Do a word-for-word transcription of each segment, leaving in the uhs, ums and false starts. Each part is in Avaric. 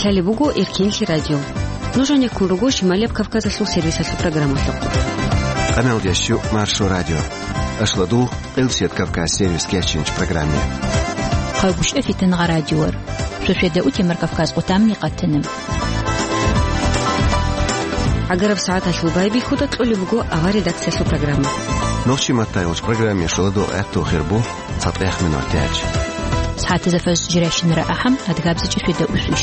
Лъалеб буго Эркенлъи радио. Нуж гьанеккун руго Шималияб Кавказалъул сервисалъул программалъухъ. Къаналдящу Маршо радио. Ашладул Къилсият Кавказ сервис кечинч программе. Хъагушев Фитангъа радиор. Шошеда утемар Кавказ къутамни къатанам. Агараб сагӀаталъул байбихьуда кьолеб буго авар редакциялъул программа. Нохчи маттайолч программе шоладо гӀатту хирбу. ЦатӀех минут тяч. СагӀатазда фажр жирайщинара ахӀам, адгабзичӀи шведа усвищ.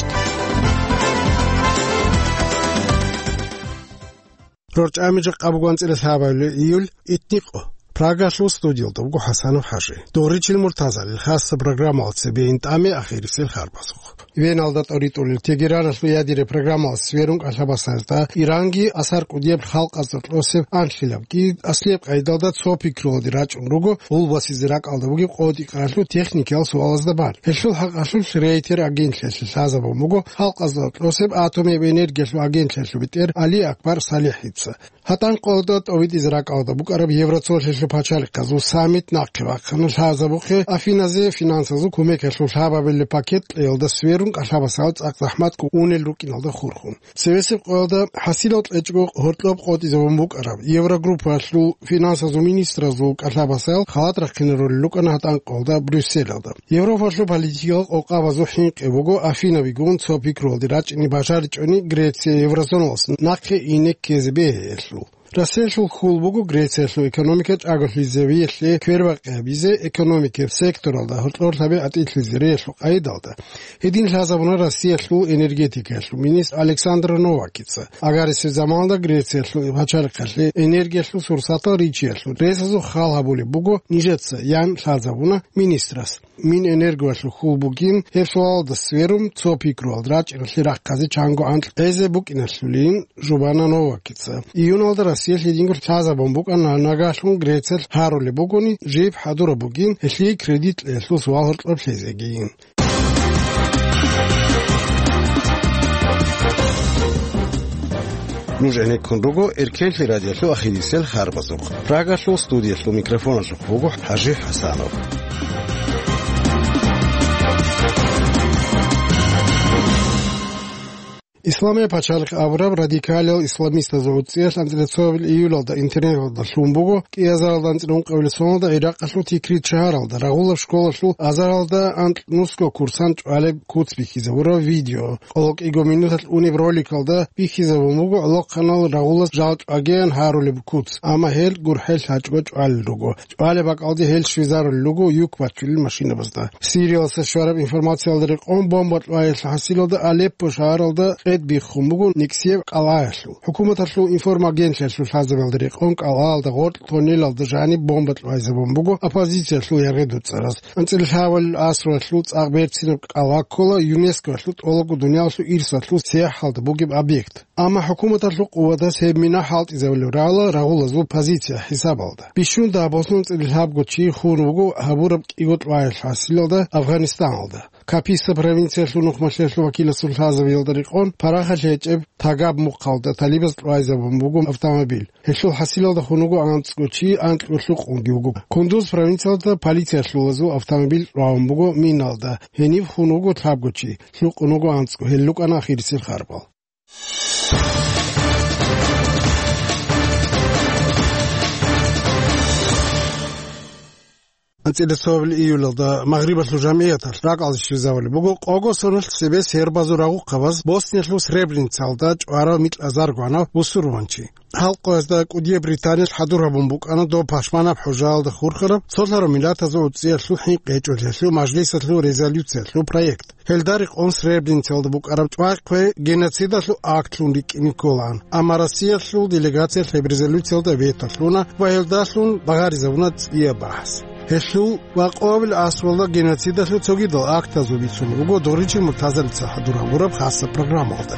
РорчӀами жакъа бугван цӀила лъабабилеб июль, итникъо. Прагалъул студиялда буго ХӀасанов ХӀажи. Догъричил Муртазалил хасса программалъ цебе интӀаме ахирисел харбазухъ. Веналда тӀоритӀулел Тегераналъул ядераб программалъ сверун кӀалъабасазда Иранги асар кӀудияб халкъазда кьосеб анлъилабги аслияб къайдалда цо пикруялде рачӀун руго гъулбасизе ракӀалда бугеб къотӀи-къаралъул техникиял суалазда бан. Гьелъул хӀакъалъулъ Рейтер агентлъиялъе лъазабун буго халкъазда кьосеб атомияб энергиялъул агентлъиялъул бетӀер Али Акбар СалихӀица. ГьатӀан къоялда тӀовитӀизе ракӀалда букӀараб Евроцолъиялъул пачалихъазул саммит нахъе вахъана лъазабухъе Афиназе финансазул кумекалъул лъабабилеб пакет кьеялда сверун кӀалъабасал цӀакъ захӀматго унел рукӀиналда хурхун. Цевесеб къоялда хӀасилал кьечӀого гьоркьоб къотӀизабун букӀараб Еврогруппаялъул финансазул министразул кӀалъабасал халат рахъинарулел рукӀана гьатӀан къоялда Брюсселалда. Европалъул политикиял къокъабазул хӀинкъи буго Афинабигун цо пикруялде рачӀине бажаричӀони Греция еврозоналас нахъе ине ккезе бегьиялъул. Россиялъул хьул буго Грециялъул экономика чӀаголъизавиялъе квербакъи гьабизе, экономикаб секторалда гьоркьор лъабе атӀилъизариялъул къайдалда. Гьедин лъазабуна Россиялъул энергетикаялъул министр Александр Новакица. Агарисеб заманалда Грециялъул пачалихъалъе энергиялъул сурсатал ричиялъул ресазул хал гьабулеб буго нижеца, ян лъазабуна министрас. Минэнергоялъул хьул бугин, гьеб суалалда сверун, цо пикруялд рачӀиналъе рахъазе чанго анкь гӀезе букӀиналъулин жубана Новакица. Июналда Россиялъ гьединго лъазабун букӀана, нагагьлъун Грециялъ гьарулеб бугони, жиб хӀадураб бугин, гьелъие кредит кьеялъул суал гьоркьоб лъезегийин. Нуж гӀенеккун руго Эркенлъи радиолъул ахирисел харбазухъ. Прагалъул студиялъул микрофоналъухъ буго ХӀажи ХӀасанов. Исламияб пачалихъ абураб радикалиял исламистазул гӀуцӀиялъ анцӀила цоабил июлалда интернеталда лъун буго, кӀиазаралда анцӀила ункъабилеб соналда Иракъалъул Тикрит шагьаралда рагъулаб школалъул азаралда анкь нусго курсант чӀвалеб куц бихьизабураб видео. Къоло кӀиго минуталъ унеб роликалда бихьизабун буго гӀолохъанал рагъулаз жал чӀвагеян гьарулеб куц, амма гьел гурхӀел лъачӀого чӀвалел руго. ЧӀвалеб бакӀалде гьел щвезарулел руго юк бачулел машинабазда. Сириялдаса щвараб информациялда рекъон, бомба кьваялъул хӀасилалда Алеппо шагьаралда къед биххун буго никсияб кӀалгӀаялъул. ХӀукуматалъул информагентлъиялъул лъазабиялда рекъон, кӀалгӀаялда гъоркь тоннелалда жаниб бомба кьвайзабун буго оппозициялъул яргъи-дуцӀараз. АнцӀила лъабабилеб асруялъул цӀакъ берцинаб кӀалгӀа ккола ЮНЕСКОялъул тӀолабго дуниялалъул ирсалъул сияхӀалда бугеб объект. Амма хӀукуматалъул къуватаз гьеб мина хӀалтӀизабулеб рала рагъулазул позиция хӀисабалда. Бищун дагьаб босун анцӀила лъабго чи хун вуго гьабураб кӀиго кьваялъул хӀасилалда Афганистаналда. Каписа провинциялъул нухмалъиялъул вакиласул лъазабиялда рекъон, парахалъ гьечӀеб Тагаб мухъалда талибаз кьвайзабун буго автомобиль. Гьелъул хӀасилалда хун вуго анцӀго чи, анкьго лъукъунги вуго. Кундуз провинциялда полициялъулазул автомобиль кьвагьун буго миналда. Гьенив хун вуго лъабго чи, лъукъун вуго анцӀго, гьел рукӀана ахирисел харбал. АнцӀила цоабил июлалда Магърибалъул жамгӀияталъ ракӀалде щвезавулеб буго къого соналъ цебе сербазул рагъухъабаз Босниялъул Сребреницалда чӀварав микьазарго гьанав бусурманчи. Гьал къоязда кӀудияб Британиялъ хӀадур гьабун букӀана доб пашманаб хӀужаялда хурхараб цолъарав миллатазул гӀуцӀиялъул хӀинкъи гьечӀолъиялъул мажлисалъул резолюциялъул проект. Гьелда рекъон Сребреницалда букӀараб чӀвай-хъвей геноцидалъул актлъун рикӀкӀине кколаан, амма Россиялъул делегациялъ гьеб резолюциялда вето лъуна ва гьелдалъун багъаризабуна цӀияб бахӀс. Гьелъул ва къоабил асралда геноцидалъул цогидал актазул бицун буго Доричи Муртазалица хӀадур гьабураб хасаб программалда.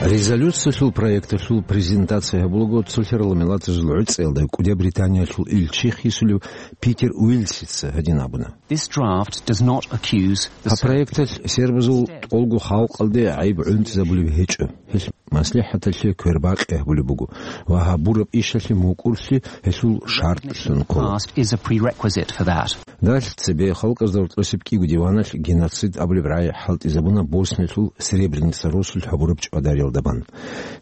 Резолюциялъул проекталъул презентация гьабулаго цолъарал миллатазул гӀуцӀиялда кӀудияб Британиялъул илчи хисулев Питер Уилсица гьадин абуна. This draft does not accuse the Гьаб проекталъ сербазул тӀолго халкъалде гӀайиб гӀунтӀизабулеб гьечӀо. Гьелъ МаслихӀаталъе квербакъи гьабулеб буго ва гьабураб ишалъе мукӀурлъи гьелъул шартӀлъун ккола. Past is a prerequisite for that. Далъ цебе халкъазда гьоркьосеб кӀиго диваналъ геноцид абулеб рагӀи хӀалтӀизабуна Босниялъул Сребреница росулъ гьабураб чӀвадариялда бан.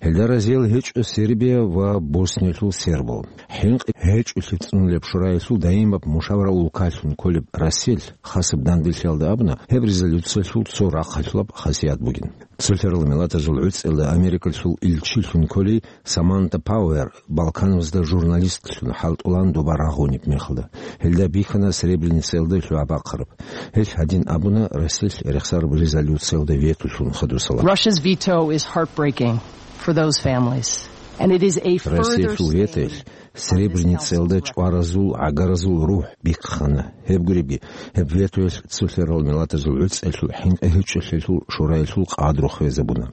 Гьелда разиял гьечӀо Сербия ва Босниялъул сербал. ХӀинкъи гьечӀолъи цӀунулеб шураялъул даимаб мушаварал улкалъун кколеб Россиялъ хасаб данделъиялда абуна, гьеб резолюциялъул цо рахъалъулаб хасият бугин. Цолъарал Миллатазул ГӀуцӀиялда Америкалъул илчилъун кколей Саманта Пауэр Балканазда журналистлъун хӀалтӀулаан доба рагъунеб мехалда. Гьелда бихьана Сребреницаялда лъугӀа-бахъараб. Гьелъ гьадин абуна Россиялъ рехсараб резолюциялда ветолъун хадусала. Russia's veto is heartbreaking for those families, and it is a further Россиялъул ветоялъ Сребреницаялда чӀваразул, гӀагаразул рухӀ бихъана. Гьеб гуребги, гьеб ветоялъ Цолъарал Миллатазул ГӀуцӀиялъул хӀинкъи гьечӀолъиялъул шураялъул къадру хвезабуна.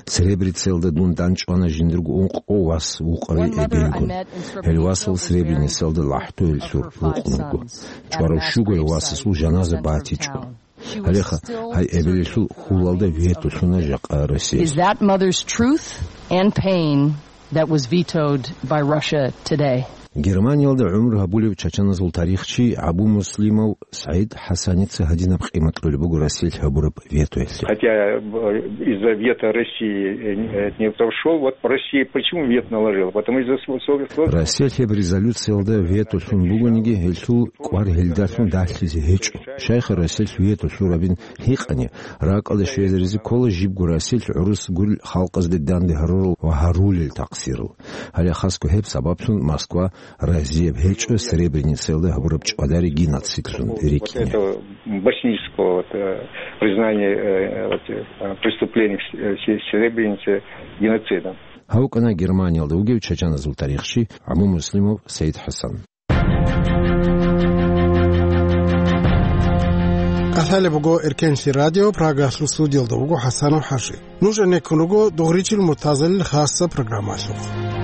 Сребреницаялда дун данчӀвана жиндирго ункъо вас вукъари эбелгун. Гьел васал Сребреницаялда лахӀтоялъур рукъун руго. ЧӀварав щуго гьев васасул жаназа батичӀо. Гьалеха, гьай эбелалъул хьулалда ветолъуна жакъа Россия. Is that mother's truth and pain that was vetoed by Russia today? Германиялда гӀумру гьабулев чачаназул тарихчи Абу Муслимов СагӀид ХӀасаница гьадинаб къимат кьолеб буго Россиялъ гьабураб ветоялъе. Хотя, э, из-за вето России, э, не прошёл, вот Россия почему вето наложила? Потому из-за сво-, сво-, сво- Россиялъ гьеб резолюциялда ветолъун бугониги, гьелъул кӀвар гьелдалъун далъизе гьечӀо. Щайха Россиялъ ветолъурабин гьикъани, ракӀалде щвезаризе ккола жибго Россиялъ гӀурус гурел халкъазде данде гьарурал ва гьарулел такъсирал. Гьале хасго гьеб сабаблъун Москва разияб гьечӀо Сребреницаялда гьабураб чӀвадари геноцидлъун рикӀкӀине. Вот это боснийского, вот, э, признания, э, вот, э, преступлений в С-, э, Се-, Сребренице геноцидом. Гьав вукӀана Германиялда вугев чачаназул тарихчи Абу Муслимов СагӀид ХӀасан. Къасалеб буго Эркенлъи радио, Прагалъул студиялда вуго ХӀасанов ХӀажи. Нуж гӀенеккун руго дугъричил муртазалил хасса программалъухъ.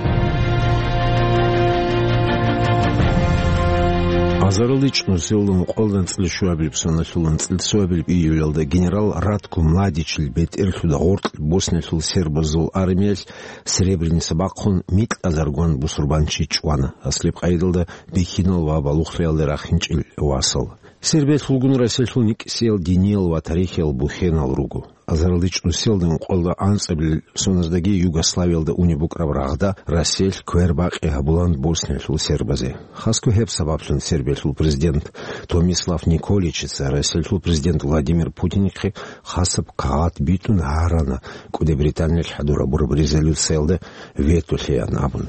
Азаралде чӀун селлун къолда анцӀила щуабилеб соналъул анцӀила цоабилеб июлялда генерал Ратко Младичил бетӀерлъуда гъоркь Босниялъул сербазул армиялъ Сребреница бахъун микьазаргван бусурбанчи чӀвана, аслеб къайдалда бихьинал ва балугълъиялда рахинчӀел васал. Сербиялъулгун Россиялъул никӀсиял диниял ва тарихиял бухьенал руго. Азаралде чӀун селда ункъоялда анцӀабилеб соназдаги Югославиялда унеб букӀараб рагъда Россиялъ квербакъи гьабулан Босниялъул сербазе. Хасго гьеб сабаблъун Сербиялъул президент Томислав Николичица Россиялъул президент Владимир Путинихъе хасаб кагъат битӀун гьарана, КӀуди Британиялъ хӀадур гьабураб резолюциялда вето лъеян абун.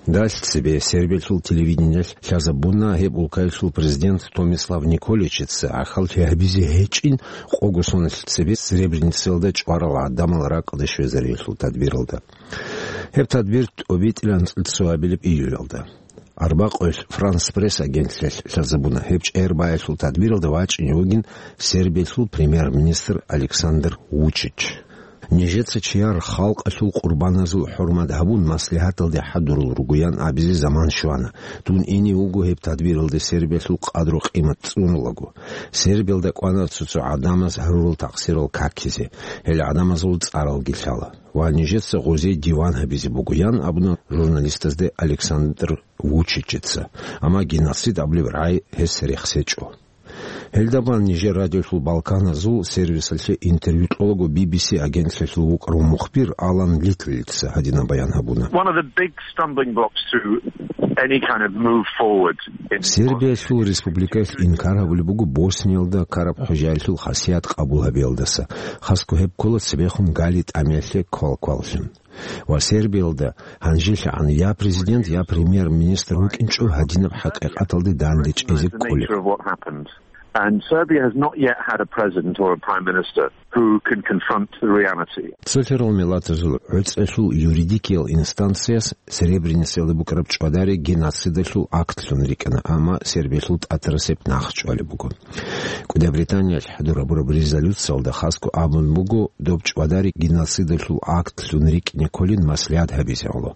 Далъ цебе Сербиялъул телевидениялъ лъазабуна гьеб улкаялъул президент Томислав Николичица гӀахьаллъи гьабизе гьечӀин къого соналъ цебе Сребреницаялда чӀварал гӀадамал ракӀалде щвезариялъул тадбиралда. Гьеб тадбир тӀобитӀилан цӀицӀабилеб июлялда. Арбакъоялъ Франс Пресс агентлъиялъ лъазабуна, гьеб чӀегӀер баялъул тадбиралда вачӀине вугин Сербиялъул премьер-министр Александр Вучич. Нижеца чияр халкъалъул къурбаназул хӀурмат гьабун, маслигьаталде хӀадурул ругоян абизе заман щвана. Дун ине вуго гьеб тадбиралде Сербиялъул къадру-къимат цӀунулаго. Сербиялда кӀвана цо-цо гӀадамаз гьарурал такъсирал какизе, гьел гӀадамазул цӀаралги лъала. Ва нижеца гъозие диван гьабизе буго, ян абуна журналистазде Александр Вучичица. Амма геноцид абулеб рагӀи гьес рехсечӀо. Гьелда бан нижер радиолъул балканазул сервисалъе интервью кьолаго Би Би Си агентлъиялъул вукӀарав мухбир Алан Литлица гьадинаб баян гьабуна. One of the big stumbling blocks to any kind of move forward in Сербиялъул республикаялъ инкар гьабулеб буго Босниялда ккараб хӀужаялъул хасият къабул гьабиялдаса, хасго гьеб ккола цебехун гали тӀамиялъе квалкваллъун. Ва Сербиялда гьанжелъагӀан я президент, я премьер-министр вукӀинчӀо гьадинаб хӀакъикъаталде данде чӀезе кколеб. And Serbia has not yet had a president or a prime minister who can confront the reality. Цолъарал миллатазул гӀуцӀиялъул юридикиял инстанцияс Сребреницаялда букӀараб чӀвадари геноцидалъул актлъун рикӀкӀана, амма Сербиялъул тӀатарасеб нахъ чӀвалеб буго. КӀуди Британиялъ хӀадур гьабураб резолюциялда хасго абун буго, доб чӀвадари геноцидалъул актлъун рикӀкӀине кколин маслигьат гьабизе гӀоло.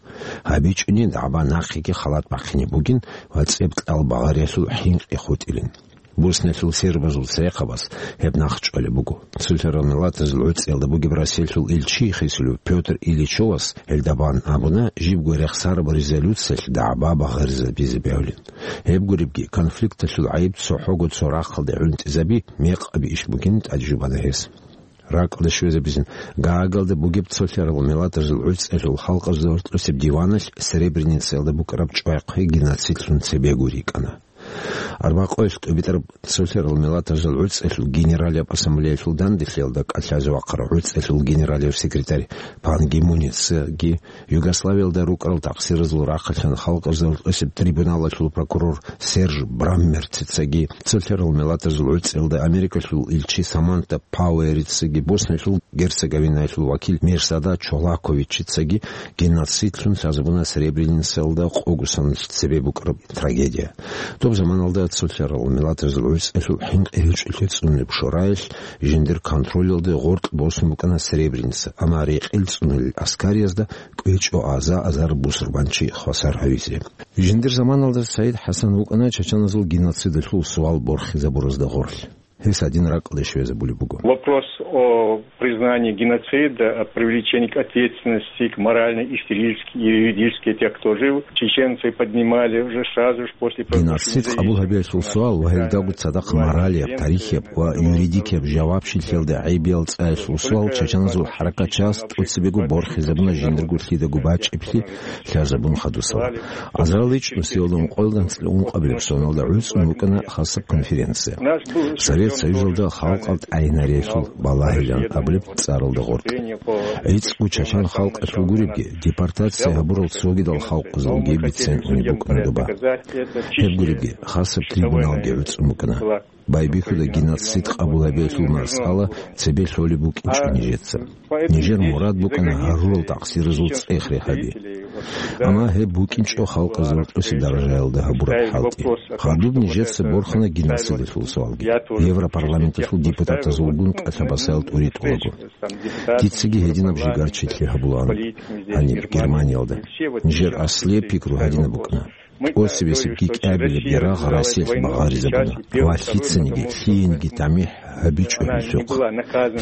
ГьабичӀони дагӀба нахъеги халат бахъине бугин ва цӀеб кьал багъариялъул хӀинкъи хутӀилин. Босниялъул сербазул церехъабаз гьеб нахъчӀвалеб буго. Цолъарал миллатазул гӀуцӀиялда бугеб Россиялъул илчи хисулев Пётр Ильичовас гьелда бан абуна, жибго рехсараб резолюциялъ дагӀба багъаризабизе бегьулин. Гьеб гуребги, конфликталъул гӀайиб цохӀого цо рахъалде гӀунтӀизаби, мекъаби иш бугин тӀадежубана гьес. РакӀалде щвезабизин, Гаагалда бугеб цолъарал миллатазул гӀуцӀиялъул халкъазул гьоркьосеб диваналъ Сребреницаялда букӀараб чӀвай-хъвей геноцидлъун цебего рикӀкӀана. Арбакъоялъ тӀубитӀараб цолъарал миллатазул гӀуцӀиялъул генералияб ассамблеялъул данделъиялда кӀалъазе вахъарав гӀуцӀиялъул генералияб секретарь Пан Ги Муницаги, Югославиялда рукӀарал такъсиразул рахъалъан халкъазул гьоркьосеб трибуналалъул прокурор Серж Браммерцицаги, цолъарал миллатазул гӀуцӀиялда Америкалъул илчи Саманта Пауэрицаги, Босниялъул Герцеговинаялъул вакил Мерсада Чолаковичицаги геноцидлъун лъазабуна Сребреницаялда къогосаналъ цебе букӀараб трагедия. Доб заманалда цолъарал миллатазул гӀуцӀиялъул хӀинкъи гьечӀолъи цӀунулеб шораялъ жиндир контролалде гъоркь босун букӀана Сребреница, амма рекъел цӀунулел аскариязда кӀвечӀо аза-азар бусурбанчи хвасар гьавизе. Жиндир заманалда Саид ХӀасан вукӀана чачаназул геноцидалъул суал борхизабуразда гъорлъ. Гьес гьадин ракӀалде щвезабулеб буго. Вопрос о признании геноцида, о привлечении к ответственности, к моральной, исторической и юридической тех, кто жил, чеченцы поднимали уже сразу же после... Геноцид къабул гьабиялъул суал ва гьелдаго цадахъ моралияб, тарихияб ва юридикияб жавабчилъиялда гӀайибиял цӀаялъул суал чачаназул хӀаракатчияс тӀоцебего борхизабуна жиндирго лъидаго бачӀиблъи лъазабун хадусала. Азарал ичӀнусиялда ункъоялда анцӀила ункъабилеб соналда гӀуцӀун букӀана хасаб конференция. Совет Союзалда халкъал тӀагӀинариялъул балагьилан абулеб цӀаралда гъоркь. ГӀицӀго чачан халкъалъул гуребги, депортация гьабурал цогидал халкъазулги бицен унеб букӀана доба. Гьеб гуребги, хасаб трибуналги гӀуцӀун букӀана. Байбихьуда геноцид къабул гьабиялъул масъала цебе лъолеб букӀинчӀо нижеца. Нижер мурад букӀана гьарурал такъсиразул цӀех рехаби. Амма гьеб букӀинчӀо халкъазул тӀоси даражаялда гьабураб хӀалтӀи. Гьадуб нижеца борхана геноцидалъул суалги, Европарламенталъул депутатазулгун кӀалъабасаял тӀури тӀулаго. Дицаги гьединаб жигарчилъи гьабулаан гьаниб Германиялда. Нижер аслияб пикру гьадинаб букӀана. ТӀоцебесеб кӀикӀабилеб ярагъ Россиялъ багъаризабуна ва лъицаниги, лъиениги тамихӀ гьабичӀо гьелъухъ.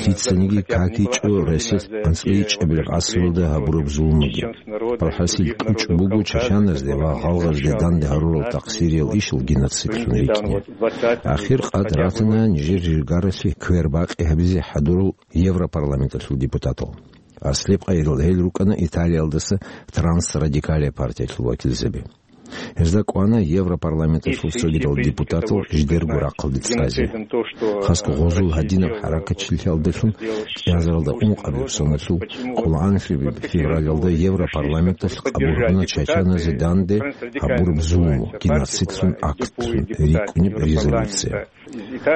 Лъицаниги какичӀо Россиялъ анцӀила ичӀабилеб гӀасралда гьабураб зулмуги. АлхӀасил, кьучӀ буго чачаназде ва гъалгъазде данде гьарурал такъсириял ишал геноцидлъун рикӀкӀине. Ахир къад ратана нижер жигаралъе квербакъи гьабизе хӀадурал Европарламенталъул депутатал. Аслеб къайдал гьел рукӀана Италиялдаса трансрадикалия партиялъул вакилзаби. Гьезда кӀвана Европарламенталъул цогидал депутатал жидерго рахъалде цӀазе. Хасго гъозул гьадинаб хӀаракатчилъиялдалъун кӀиазаралда ункъабилеб соналъул къоло анлъабилеб февралалда Европарламенталъ къабул гьабуна чачаназе данде гьабураб зулму, геноцидлъун актлъун рикӀкӀунеб резолюция.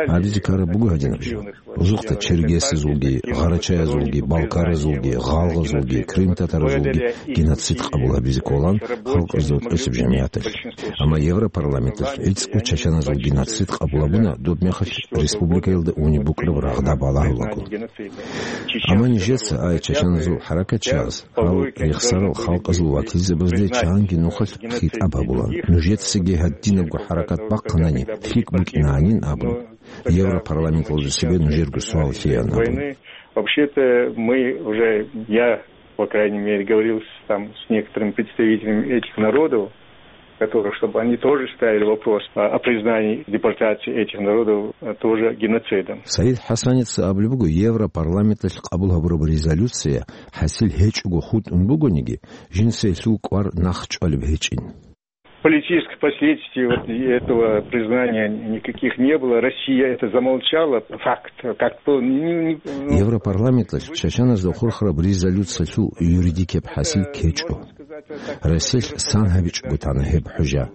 Гьабизе ккараб буго гьадинаб жо. Озухъда черкесазулги, гъарачаязулги, балкаразулги, гъалгъазулги, крымтатаразулги геноцид къабул гьабизе кколан халкъазул тӀоцеб жамигӀаталъ. Амма Европарламенталъ гӀицӀго чачаназул геноцид къабул гьабуна, доб мехалъ республикаялда унеб букӀараб рагъда балагьулаго. Амма нижеца, ай чачаназул хӀаракатчияз, гьал рехсарал халкъазул вакилзабазде чанги нухалъ хитӀаб гьабула. Нужецаги гьадинабго хӀаракат бахъанани, лъикӀ букӀинанин абун, Европарламенталда цебе нужерго суал лъеян абун. Вообще-то мы уже, я, по крайней мере, говорил с, там, с некоторыми представителями этих народов, которые, чтобы они тоже ставили вопрос о, о признании депортации этих народов, э, тоже геноцидом. Саид ХӀасаница абулеб буго, Европарламенталъ къабул гьабураб резолюция хӀасил гьечӀого хутӀун бугониги, жинсаялъул кӀвар нахъчӀвалеб гьечӀин. Политических последствий вот этого признания никаких не было. Россия это замолчала. Факт. Как бы, не, не, ну. Европарламенталъ чачаназда хурхараб резолюциялъул юридикияб хӀасил ккечӀо. Россиялъ сан гьабичӀого тана гьеб хӀужа.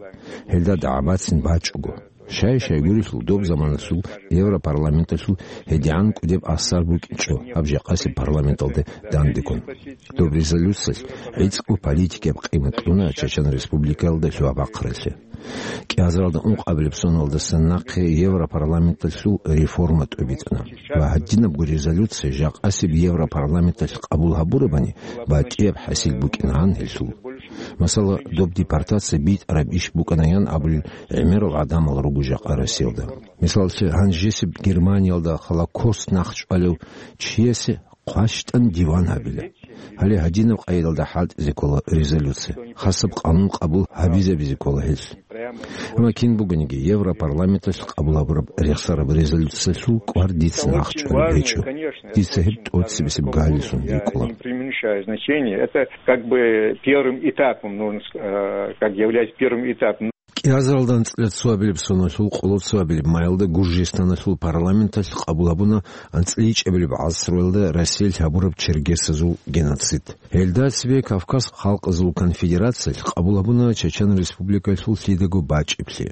Гьелда дагӀбацин бачӀого. Щай-щай гурелъул доб заманалъул Европарламенталъул гьедигӀан кӀудеб асар букӀинчӀо гьаб жакъасеб парламенталде дандеккун. Доб резолюциялъ гӀицӀго политикияб къимат кьуна Чечен Республикаялда лъугьа-бахъаралъе. КӀиазаралда ункъабилеб соналдасан нахъе Европарламенталъул реформа тӀубитӀана ва гьадинабго резолюция жакъасеб Европарламенталъ къабул гьабурабани, батӀияб хӀасил букӀинагӀан гьелъул. Масала, доб депортация битӀараб иш букӀанаян абулел гӀемерал гӀадамал руго жакъа Россиялда. Мисаллъи, гьанжесеб Германиялда Холокост нахъчӀвалев чиясе хъващтӀан диван гьабила. Гьале гьадинаб къайдалда хӀалтӀизе ккола резолюция. Хасаб къанун къабул гьабизабизе ккола гьелъ. Амма кин бугониги, Европарламенталъ къабул гьабураб рехсараб резолюциялъул квар дица нахъчӀвалеб гьечӀо. Дица гьеб тӀоцебесеб галилъун рикӀкӀула. Не преуменьшаю значение. Это как бы первым этапом, нужно ск-, э, как является первым этапом. КӀиазаралда анцӀила цоабилеб соналъул къоло цоабилеб майалда Гуржистаналъул парламенталъ къабул гьабуна анцӀила ичӀабилеб гӀасруялда Россиялъ гьабураб чергесазул геноцид. Гьелда цебе Кавказ халкъазул конфедерациялъ къабул гьабуна Чечен Республикалъул лъидаго бачӀиблъи.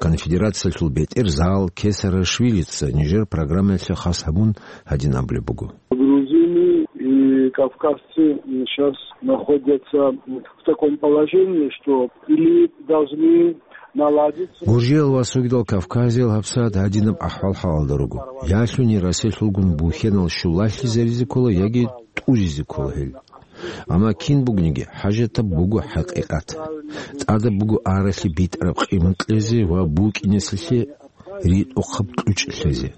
Конфедерациялъул бетӀер Заал Кесарашвилица нижер программаялъе хас гьабун гьадин абулеб буго. Грузины и кавказцы сейчас находятся в таком положении, что или должны наладиться. Гуржиял ва цогидал кавказиял гьабсагӀат гьадинаб ахӀвал-хӀалалда руго. Я лъугьуни Россиялъулгун бухьенал щулалъизаризе ккола яги тӀуризе ккола гьел. Амма кин бугониги, хӀажатаб буго хӀакъикъат. ТӀадаб буго аралъи битӀараб къимат кьезе ва букӀинесалъе ритӀухъаб кьучӀ лъезе.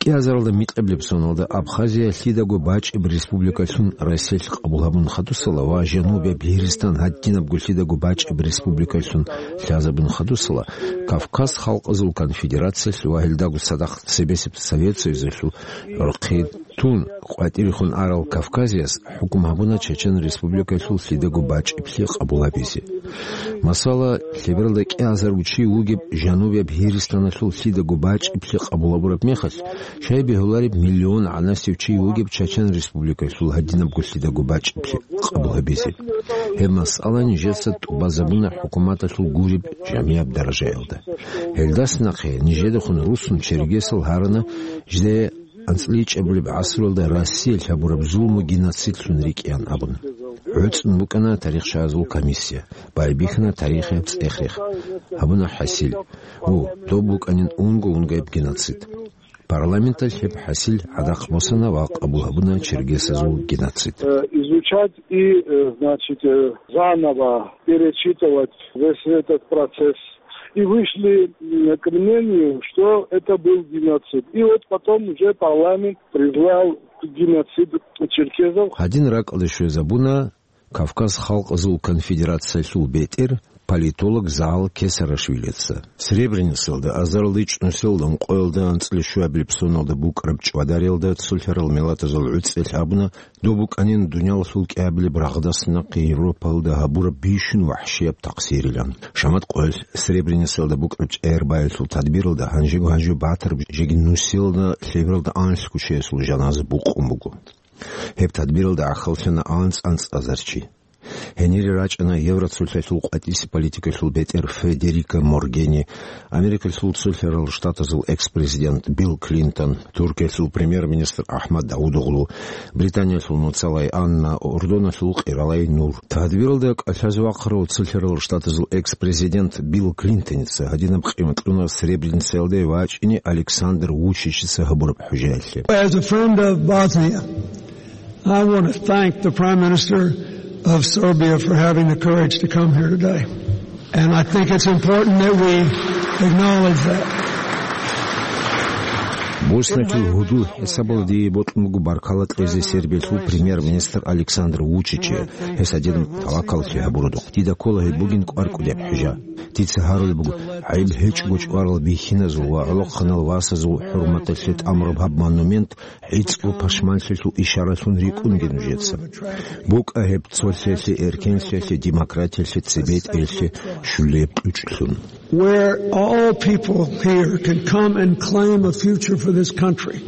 КӀиазаралда микьабилеб соналда Абхазия лъидаго бачӀеб республикалъун Россиялъ къабул гьабун хадусала ва Жанубияб Гьиристан гьадинабго лъидаго бачӀеб республикалъун лъазабун хадусала, Кавказ халкъазул конфедерациялъ ва гьелдаго цадахъ цебесеб Совет Союзалъул рохъи тун къватӀирехун арал Кавказияс хӀукму гьабуна Чечен Республикалъул лъидаго бачӀиблъи къабул гьабизе. Масала, лъебералда кӀиазарго чи вугеб Жанубияб Гьиристаналъул лъидаго бачӀиблъи къабул гьабураб мехалъ, щай бегьулареб миллион гӀанасев чи вугеб Чечен Республикалъул гьадинабго лъидаго бачӀиблъи къабул гьабизе. Гьеб масъала нижеца тӀубазабуна хӀукуматалъул гуреб жамияб даражаялда. Гьелдаса нахъе нижедехун руссун чергесал гьарана жидее анцӀила ичӀабилеб гӀасруялда Россиялъ гьабураб зулму геноцидлъун рикӀкӀеян абун. ГӀуцӀун букӀана тарихчагӀазул комиссия, байбихьана тарихияб цӀех-рех, гьабуна хӀасил. У, доб букӀанин унго-унгояб геноцид. Парламенталъ гьеб хӀасил гӀадахъ босана ва къабул гьабуна чергесазул геноцид. Э, изучать и, э, значит, э, заново перечитывать весь этот процесс. И вышли, м, к мнению, что это был геноцид. И вот потом уже парламент признал геноцид черкесов. Гьадин ракӀалде щвезабуна Кавказ халкъазул конфедерациялъул бетӀер политолог Заал Кесарашвилица. Сребреницалда, азарилда чӀунусиялда ункъоялда анцӀила щуабилеб соналда букӀараб чӀвадаралда цолъарал миллатазул гӀуцӀиялъ абуна, доб букӀанин дуниялалъул кӀиабилеб рагъдаса нахъе Европалда гьабураб бищун вахӀшияб такъсирилан. Шамат къоялъ Сребреницалда букӀараб чӀегӀер баялъул тадбиралда гьанжего-гьанже батараб жеги нусиялда лъебералда анлъго чиясул жаназа букъун буго. Гьеб тадбиралда гӀахьаллъана анцӀ-анцӀазар чи. Гьенире рачӀана Евроцолъалъул къватӀисе политикалъул бетӀер Федерика Моргерини, Америкалъул Цолъарал Штатазул экс-президент Билл Клинтон, Туркиялъул премьер-министр Ахмад Давудоглу, Британиялъул муцалай Анна, Урдуналъул къиралай Нур. Тадбиралда кӀалъазе вахъарав Цолъарал Штатазул экс-президент Билл Клинтоница гьадинаб къимат кьуна Сребреницаялде вачӀине Александр Вучичица гьабураб хӀужаялъе. As a friend of Bosnia, I want to thank the Prime Minister of Serbia for having the courage to come here today. And I think it's important that we acknowledge that. Босниялъул гьудул хӀисабалда дие бокьун буго баркала кьезе Сербиялъул премьер-министр Александр Вучиче, гьес гьадинаб тавакаллъи гьабураб. Дида ккола гьеб бугин кӀвар кӀудияб хӀужа. Дица гьарулеб буго, гӀайиб гьечӀого чӀварал бихьиназул ва гӀолохъанал васазул хӀурматалъе тӀамураб гьаб монумент гӀицӀго пашманлъиялъул ишаралъун рикӀкӀунге нужеца. БукӀа гьеб цолъиялъе, эркенлъиялъе, демократиялъе, цебетӀералъе щулеб кьучӀлъун. Where all people here can come and claim a future for this country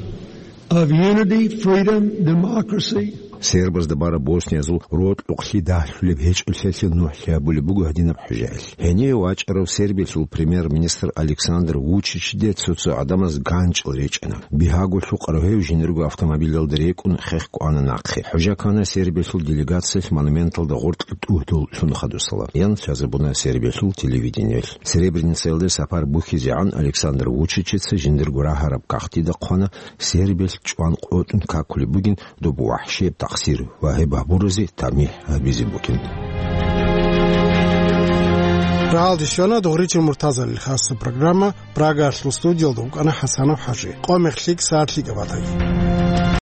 of unity, freedom, democracy. Сербазда бараб босниязул рокьукълъи дагьлъулеб гьечӀолъиялъе нухӀлъи гьабулеб буго гьадинаб хӀужаялъ. Гьениве вачӀарав Сербиялъул премьер-министр Александр Вучичиде цо-цо гӀадамаз ганчӀал речӀана. Бигьаго лъукъарав гьев жиндирго автомобилалда рекӀун хехго ана нахъе. ХӀужа ккана Сербиялъул делегациялъ монументалда гъоркье тӀугьдул лъун хадусала. Ян лъазабуна Сербиялъул телевидениялъ. Сребреницаялде сапар бухьизегӀан Александр Вучичица жиндирго рагьараб кагътида хъвана, Сербиялъ чӀван къотӀун какулеб бугин доб вахӀшияб такъсир ва гьеб гьабуразе тамихӀ гьабизе бугин. Рагьалде щвана Дугъричил Муртазалил хасаб программа. Прагаялъул студиялда вукӀана ХӀасанов ХӀажи. Къо-мех лъикӀ, сагӀат лъикӀаб батаги.